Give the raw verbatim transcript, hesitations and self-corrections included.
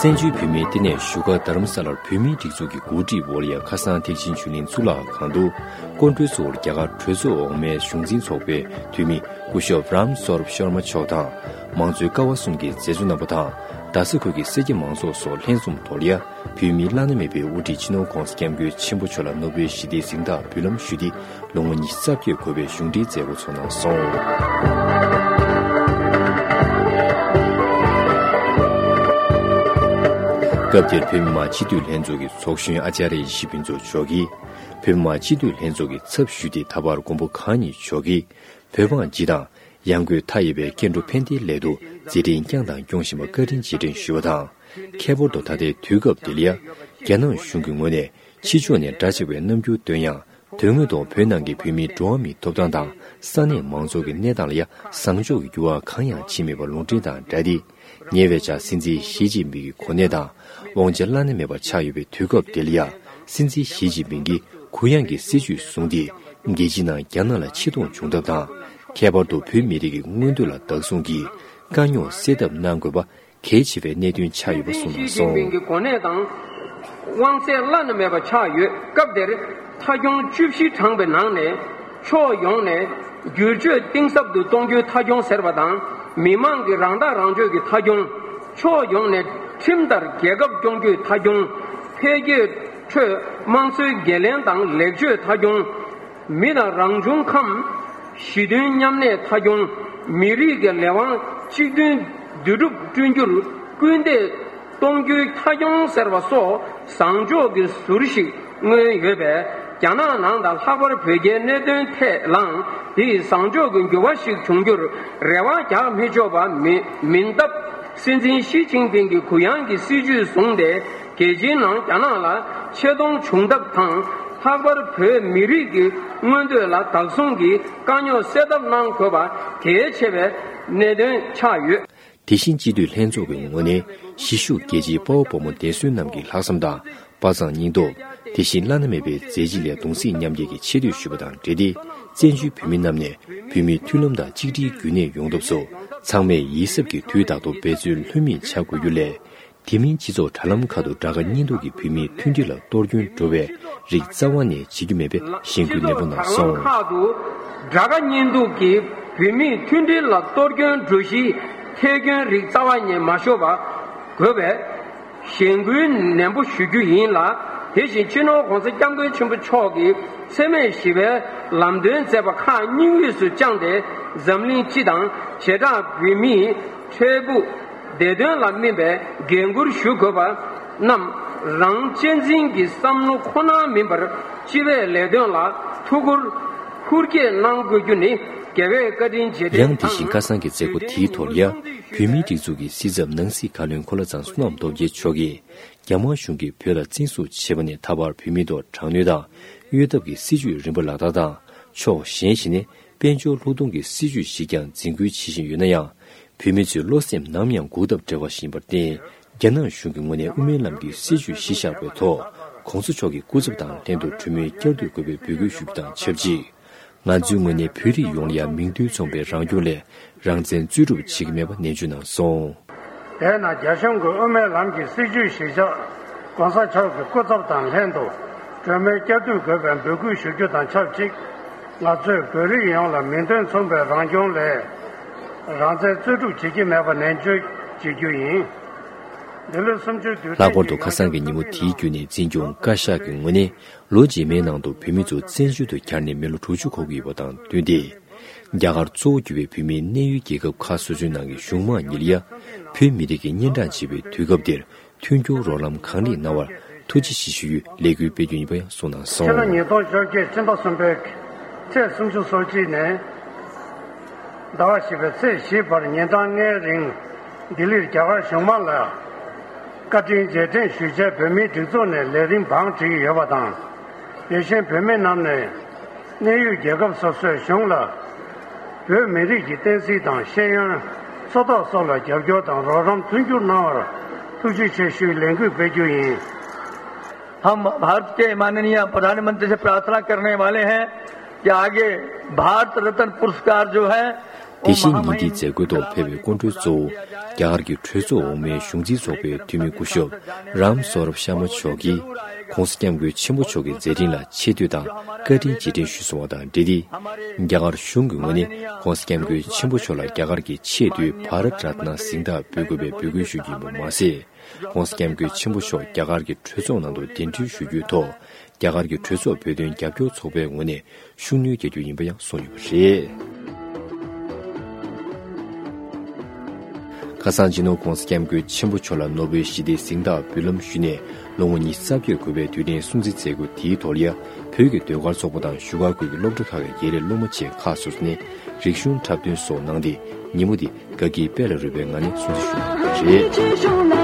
བཙན་བྱོལ་བོད་མིའི་ལྟེ་གནས་བཞུགས་སྒར་རྡ་རམ་ས་ལར་བོད་མིའི་སྒྲིག་འཛུགས་ཀྱི་འགོ་ཁྲིད་འོག་ལ་ཡང་ཁ་སང་ཐེག་ཆེན་ཆོས་གླིང་གཙུག་ལག་ཁང་དུ་སྐུ་མགྲོན་གཙོ་བོར་རྒྱ་གར་གྲོས་ཚོགས་འོག་མའི་གཞུང་འཛིན་ཚོགས་པའི་འཐུས་མི་སྐུ་ཞབས་རམ་སོརབ་ཤར་མ་མཆོག་དང་། མང་གཙོའི་ཀ་བ་གསུམ་གྱི་མཛད་གཙོ་རྣམ་པ་དང་། རྡ་ས་ཁུལ་གྱི་སེར་སྐྱ་མང་ཚོགས་སོགས་ལྷན་འཛོམས་ཐོག་ལ་ཡ། བོད་མིའི་བླ་ན་མེད་པའི་དབུ་ཁྲིད་སྤྱི་ནོར་༧གོང་ས་༧སྐྱབས་མགོན་ཆེན་པོ་མཆོག་ལ་ནོ་བེལ་ཞི་བདེའི་གཟེངས་རྟགས་འབུལ་ལམ་ཞུ་སྟེ། ལོ་ངོ་ཉི་ཤུ་རྩ་བརྒྱད་འཁོར་བའི་གཞུང་འབྲེལ་མཛད་སྒོ་ཚོགས་གནང་སོང་། སྐབས་དེར་བོད་མི་མང་སྤྱི་འཐུས་ལྷན་ཚོགས་ཀྱི་ཚོགས་གཞོན་ཨ་ཙརྱ་ཡེ་ཤེས་ཕུན་ཚོགས་མཆོག་གིས། བོད་མི་མང་སྤྱི་འཐུས་ལྷན་ཚོགས་ཀྱི་ཚབ་ཞུས་ཏེ། ད་བར་མགོན་པོ་གང་ཉིད་མཆོག་གིས་བོད་འབངས་སྤྱི་དང་། ཡང་སྒོས་མཐའ་ཡས་པའི་སྐྱེ་འགྲོ་ཕན་བདེའི་སླད་དུ་མཛད་འཕྲིན་བསྐྱངས་དང་སྐྱོང་བཞིན་པར་བཀའ་དྲིན་རྗེས་དྲན་ཞུས་པ་དང་། ཁྱད་པར་དུ་ད་ལྟའི་དུས་སྐབས་འདི་ལ་ཡ། རྒྱ་ནག་གཞུང་གི་ངོས་ནས་ཕྱི་ཕྱོགས་ནས་འདྲ་ཆགས་པའི་རྣམ་འགྱུར་སྟོན་ཡང་། དོན་དངོས་ཐོག་བོད་ནང་གི་བོད་མིའི་འགྲོ་བ་མིའི་ཐོབ་ཐང་དང་ས་གནས་མང་ཚོགས་ཀྱི་གནས་སྟངས་ལ་ཡ། བཟང་ཕྱོགས་ཀྱི་འགྱུར་བ་གང་ཡང་ཕྱིན་མེད་པ་ལུང་འདྲེན་དང་སྦྲགས་ཏེ། ཉེ་བའི་ཆར་སྲིད་འཛིན་ཞི་ཅིན་ཕིང་གི་གོ་གནས་དང་དབང་ཆ་བླ་ན་མེད་པ་ཆགས་ཡོད་པའི་དུས་སྐབས་འདི་ལ་ཡ། སྲིད་འཛིན་ཞི་ཅིན་ཕིང་གིས་གུ་ཡངས་ཀྱི་སྲིད་བྱུས་བཟུང་སྟེ། རྒྱལ་སྤྱིའི་ནང་རྒྱ་ནག་ལ་ཆེ་མཐོང་བྱུང་ཐབས་དང་། ཁྱད་པར་དུ་བོད་མི་རིགས་ཀྱི་མངོན་འདོད་ལ་བདག་བཟུང་གིས་དཀའ་རྙོག་སེལ་ཐབས་གནང་དགོས་པ་གལ་ཆེ་བའི་གནད་དོན་ཆགས་ཡོད་པ་གསུངས་གནང་སོང་། ཞི་ཅིན་ཕིང་གི་གོ་གནས་དང་དབང་ཚད་བླ་ན་མེད་པ་ཆགས་ཡོད་སྐབས་དེར། མཐའ་སྐྱོང་བཅུ་བཞི་བགྲངས་པའི་ནང་ནས་ཕྱོགས་ཡོངས་ནས་བསྒྱུར་བཅོས་གཏིང་ཟབ་ཏུ་གཏོང་རྒྱུའི་མཐའ་སྐྱོང་ཟེར་བ་དང་། མི་མང་གི་རང་ཐག་རང་གཅོད་ཀྱི་མཐའ་སྐྱོང་། ཕྱོགས་ཡོངས་ནས་ཁྲིམས་ལྟར་རྒྱལ་ཁབ་སྐྱོང་རྒྱུའི་མཐའ་སྐྱོང་། འཕེལ་རྒྱས་ཁྲོད་དམངས་གཙོའི་འགན་ལེན་དང་ལེགས་བཅོས་མཐའ་སྐྱོང་། མི་དང་རང་བྱུང་ཁམས་ཞི་མཐུན་མཉམ་གནས་མཐའ་སྐྱོང་། མི་རིགས་ཀྱི་ལས་དབང་གཅིག་མཐུན་འདུས་གྲུབ་བསྐྲུན་རྒྱུར་སྐུལ་འདེད་གཏོང་རྒྱུའི་མཐའ་སྐྱོང་ཟེར་བ་སོགས་བཟང་ཕྱོགས་ཀྱི་ཟུར་ཞིག་མངོན་ཡོད་པས། རྒྱ་ནག་ནང་དང་ལྷག་པར་བོད་རྒྱའི་གནད་དོན་ཐད་ལའང་དེའི་བཟང་ཕྱོགས་ཀྱི་འགྱུར་བ་ཞིག་འབྱུང་རྒྱུར་རེ་བ་རྒྱག་མི་ཆོག་པ་མིན་མིན་སྟབས། སྲིད་འཛིན་ཞི་ཅིན་ཕིང་གི་གུ་ཡངས་ཀྱི་སྲིད་བྱུས་བཟུང་སྟེ། རྒྱལ་སྤྱིའི་ནང་རྒྱ་ནག་ལ་ཆེ་མཐོང་བྱུང་ཐབས་དང་། ལྷག་པར་བོད་མི་རིགས་ཀྱི་མངོན་འདོད་ལ་བདག་བཟུང་གིས་དཀའ་རྙོག་སེལ་ཐབས་གནང་དགོས་པ་གལ་ཆེ་བའི་གནད་དོན་ཆགས་ཡོད། དེ་བཞིན་སྤྱི་འཐུས་ལྷན་ཚོགས་ཀྱི་ངོས་ནས་གཞིས་བཞུགས་རྒྱལ་གཅེས་དཔའ་བོ་དཔའ་མོ་འདས་གསོན་རྣམས་ཀྱི་ལྷག་བསམ་དང་དཔའ་མཛངས་སྙིང་སྟོབས། དེ་བཞིན་བླ་ན་མེད་པའི་མཛད་རྗེས་ལ་གདུང་སེམས་མཉམ་སྐྱེད་ཀྱི་ཆེ་བསྟོད་ཞུས་པ་དང་འབྲེལ་ཏེ། བཙན་བྱོལ་བོད་མི་རྣམས་ནས་བོད་མིའི་མཐུན་ལམ་དང་གཅིག་སྒྲིལ་རྒྱུན་གནས་ཡོང་ཐབས་སུ། ཚང་མས་ཡིད་གཟབ་ཀྱིས་དུས་རྟག་ཏུ་འབད་བརྩོན་ལྷོད་མེད་བྱ་དགོས་རྒྱུ་ལས། དེ་མིན་སྤྱི་ཚོགས་དྲ་ལམ་ཁག་ཏུ་དགྲ་དགའ་གཉེན་སྡུག་གིས་བོད་མིའི་མཐུན་སྒྲིལ་ལ་གཏོར་སྐྱོན་འགྲོ་བའི་རིགས་རྩ་བ་ནས་བྱེད་རྒྱུ་མེད་པའི་གཞེན་སྐུལ་ནན་པོ་གནང་སོང་། སྤྱི་ཚོགས་དྲ་ལམ་ཁག་ཏུ་དགྲ་དགའ་གཉེན་སྡུག་གིས་བོད་མིའི་མཐུན་སྒྲིལ་ལ་གཏོར་སྐྱོན་འགྲོ་གཞིའི་ཐད་སྐྱོན་རིགས་རྩ་བ་ནས་མ་ཤོར་བ་དགོས་པའི་གཞེན་སྐུལ་ནན་པོ་ཞུ་རྒྱུ་ཡིན་ལ། དེ་བཞིན་སྤྱི་ནོར་༧གོང་ས་༧སྐྱབས་མགོན་ཆེན་པོ་མཆོག་གིས་འཚེ་མེད་ཞི་བའི་ལམ་སྟོན་མཛད་པ་ཁག་སྙིང་དབུས་སུ་བཅངས་ཏེ། འཛམ་གླིང་སྤྱི་དང་བྱེ་བྲག་བོད་མིའི་འཕྲལ་ཕུགས་བདེ་དོན་ལ་སྨིན་པའི་འགན་འཁུར་ཞུ་དགོས་པ་རྣམས། རང་གཅེས་འཛིན་གྱི་བསམ་བློ་ཁོ་ན་མིན་པར་སྤྱི་པའི་ལས་དོན་ལ་ཐུགས་ཁུར་ཧུར་སྐྱེད་གནང་དགོས་རྒྱུ་ནི་རྒྱལ་བའི་བཀའ་དྲིན་རྗེས་དྲན་དང་། ཡང་དེ་བཞིན་ཁ་སང་གི་མཛད་སྒོ་དེའི་ཐོག་ལ་ཡ། བོད་མིའི་སྒྲིག་འཛུགས་ཀྱི་སྲིད་ཚབ་ནང་སྲིད་བཀའ་བློན་འཁོར་ལོ་བཟང་བསོད་ནམས་སྟོབས་རྒྱལ་མཆོག་གིས། རྒྱ་དམར་གཞུང་གིས་བོད་ལ་བཙན་བཟུང་བྱས་པ་ནས་ད་བར་བོད་མིའི་ཐོག་དྲག་གནོན་དང་གཡོ་ཐབས་ཀྱི་སྲིད་བྱུས་རིམ་པ་ལག་བསྟར་དང་། ཕྱོགས་གཞན་ཞིག་ནས་དཔལ་འབྱོར་ལྷུག་གཏོང་གི་སྲིད་བྱུས་ཤིག་ཀྱང་འཛིན་སྐྱོང་བྱེད་བཞིན་ཡོད་ན་ཡང་། བོད་མི་ཚོའི་བློ་སེམས་ནམ་ཡང་འགུག་ཐབས་བྲལ་བ་ཞིག་ཡིན་པར་བརྟེན། རྒྱ་ནག་གཞུང་གི་ངོས་ནས་དབུ་མའི་ལམ་གྱི་སྲིད་བྱུས་གཞི་བཞག་པའི་ཐོག་༧གོང་ས་མཆོག་གི་སྐུ་ཚབ་དང་ལྷན་དུ་གྲོས་མོལ་བསྐྱར་ཟློས་དགོས་པའི་འབོད་སྐུལ་ཞུ་རྒྱུ་དང་ཆབས་ཅིག་ང་ཚོའི་ངོས་ནས་བོད་རིགས་ཡོངས་ལ་ཡང་མིང་དོན་མཚུངས་པའི་རང་སྐྱོང་སླད་རང་བཙན་རྩོད་སྒྲུབ་བྱེད་ཀྱི་མེད་པ་ནན་བརྗོད་གནང་སོང་། དེས་ན་རྒྱ་གཞུང་གི་དབུ་མའི་ལམ་གྱི་སྲིད་བྱུས་གཞི་བཞག་༧གོང་ས་མཆོག་གི་སྐུ་ཚབ་དང་ལྷན་དུ་གྲོས་མོལ་བསྐྱར་ཟློས་དགོས་པའི་འབོད་སྐུལ་ཞུ་རྒྱུ་དང་ཆབས་ཅིག་ང་ཚོས་བོད་རིགས་ཡོངས་ལ་མིང་དོན་མཚུངས་པའི་རང་སྐྱོང་སླད་རང་བཙན་རྩོད་སྒྲུབ་བྱེད་ཀྱི་མེད་པ་ནན་བརྗོད་བྱེད་རྒྱུ་ཡིན། འདི་ལོའི་གསུམ་བཅུའི་དུས་དྲན་ལྷག་པར་དུ་ཁ་སང་གི་ཉིན་མོ་དེའི་བརྒྱུད་ནས་འཛིན་སྐྱོང་བཀའ་ཤག་གི་ངོས་ནས་ལོ་རྗེས་མའི་ནང་དུ་བོད་མི་ཚོ་བཙན་བྱོལ་དུ་གྱར་ནས་མི་ལོ་དྲུག་ཅུ་འཁོར་གྱི་ཡོད་པ་དང་བསྟུན་ཏེ། རྒྱ་གར་གཙོ་བོ་གྱུར་པའི་བོད་མིའི་གནས་ཡུལ་རྒྱལ་ཁབ་ཁག་སོ་སོའི་ནང་གི་གཞུང་མང་གཉིས་ལ་ཡ། བོད་མི་རིགས་ཀྱི་གཉན་འཕྲང་ཆེ་བའི་དུས་སྐབས་འདིར་མཐུན་འགྱུར་རོགས་རམ་གང་ལེགས་གནང་བར་ཐུགས་རྗེ་ཆེ་ཞུ་ཡུལ་ལས་འགུལ་སྤེལ་རྒྱུ་ཡིན་པ་ཡང་གསུངས་གནང་སོང་། ཕྱི་ལོ་ཉིས་སྟོང་བཅོ་བརྒྱད་སྤྱི་ཟླ་གསུམ་པའི་ཚེས་སུམ་ཅུ་སོ་གཅིག་ནས་ཟླ་བ་བཞི་པའི་ཚེས་བཞི་བར་ཉིན་གྲངས་ལྔའི་རིང་ལྡི་ལིར་རྒྱ་གར་གཞུང་མང་ལ་བཀའ་དྲིན་རྗེས་དྲན་ཞུ་ཆེད་བོད་མིའི་སྒྲིག་འཛུགས་ནས་ལས་རིམ་བང་བསྒྲིགས་ཡོད་པ་དང་། དེ་བཞིན་བོད་མི་རྣམས་ནས་གནས་ཡུལ་རྒྱལ་ཁབ་སོ་སོའི་གཞུང་ལ་བོད་མི་རིགས་ཀྱི་བསྟན་སྲིད་དང་ཤེས་ཡོན། འཚོ་ཐབས་སོགས་ལ་རྒྱབ་སྐྱོར་དང་རོགས་རམ་མཐུན་འགྱུར་གནང་བར་ ཐུགས་རྗེ་ཆེ་ཞུའི་ལས་འགུལ་སྤེལ་རྒྱུ་ཡིན། हम भारत के माननीय प्रधानमंत्री से प्रार्थना करने वाले हैं कि आगे भारत रत्न पुरस्कार जो है, དེ་བཞིན་ཉིན་འདིའི་མཛད་སྒོའི་ཐོག་ཕེབས་པའི་སྐུ་མགྲོན་གཙོ་བོ། རྒྱ་གར་གྱི་གྲོས་ཚོགས་འོག་མའི་གཞུང་འཛིན་ཚོགས་པའི་འཐུས་མི་སྐུ་ཞབས་རམ་སོ་རབ་ཤར་མ་མཆོག་གིས། ༸གོང་ས་༸སྐྱབས་མགོན་ཆེན་པོ་མཆོག་གི་མཛད་འཕྲིན་ལ་ཆེ་བསྟོད་དང་བཀའ་དྲིན་རྗེས་དྲན་ཞུས་སོང་བ་དང་འབྲེལ་ཏེ། རྒྱ་གར་གཞུང་གི་ངོས་ནས་༸གོང་ས་༸སྐྱབས་མགོན་ཆེན་པོ་མཆོག་ལ་རྒྱ་གར་གྱི་ཆེས་མཐོའི་བྷ་རཏ་རཏ་ན་གཟེངས་རྟགས་འབུལ་དགོས་པའི་འབོད་སྐུལ་ཞུ་རྒྱུ་ཡིན་པ་མ་ཟད། ༸གོང་ས་༸སྐྱབས་མགོན་ཆེན་པོ་མཆོག་རྒྱ་གར་གྱི་གྲོས་ཚོགས་ནང་དུ་གདན་འདྲེན་ཞུ་རྒྱུའི་ཐོག་རྒྱ་གར་གྱི་གྲོས་ཚོགས་བོད་དོན་རྒྱབ་སྐྱོར་ཚོགས་པའི་ངོས་ནས་ཤུགས་སྣོན་རྒྱག་རྒྱུ་ཡིན་པ་ཡང་གསུངས་ཡོད་པ་རེད། ཁ་སང་སྤྱི་ནོར་༸གོང་ས་༸སྐྱབས་མགོན་ཆེན་པོ་མཆོག་ལ་ནོ་བེལ་ཞི་བདེའི་གཟེངས་རྟགས་འབུལ་ལམ་ཞུས་ནས་ལོ་ངོ་ཉི་ཤུ་རྩ་བརྒྱད་འཁོར་བའི་དུས་དྲན་སྲུང་བརྩི་མཛད་སྒོ་དེའི་ཐོག་ལ་ཡ། བོད་ཀྱི་ཟློས་གར་ཚོགས་པ་དང་བཞུགས་སྒར་ཁུལ་གྱི་སློབ་གྲྭ་ཁག་གི་དགེ་ལས་སློབ་མ་བཅས་ཁག་སོ་སོ་ནས་རིག་གཞུང་འཁྲབ་སྟོན་སོགས་གནང་སྟེ། ཉིན་མོ་འདི་དགའ་སྐྱིད་དཔལ་ལ་རོལ་པའི་ངང་ནས་སྲུང་བརྩི་ཞུས་གནང་བ་རེད།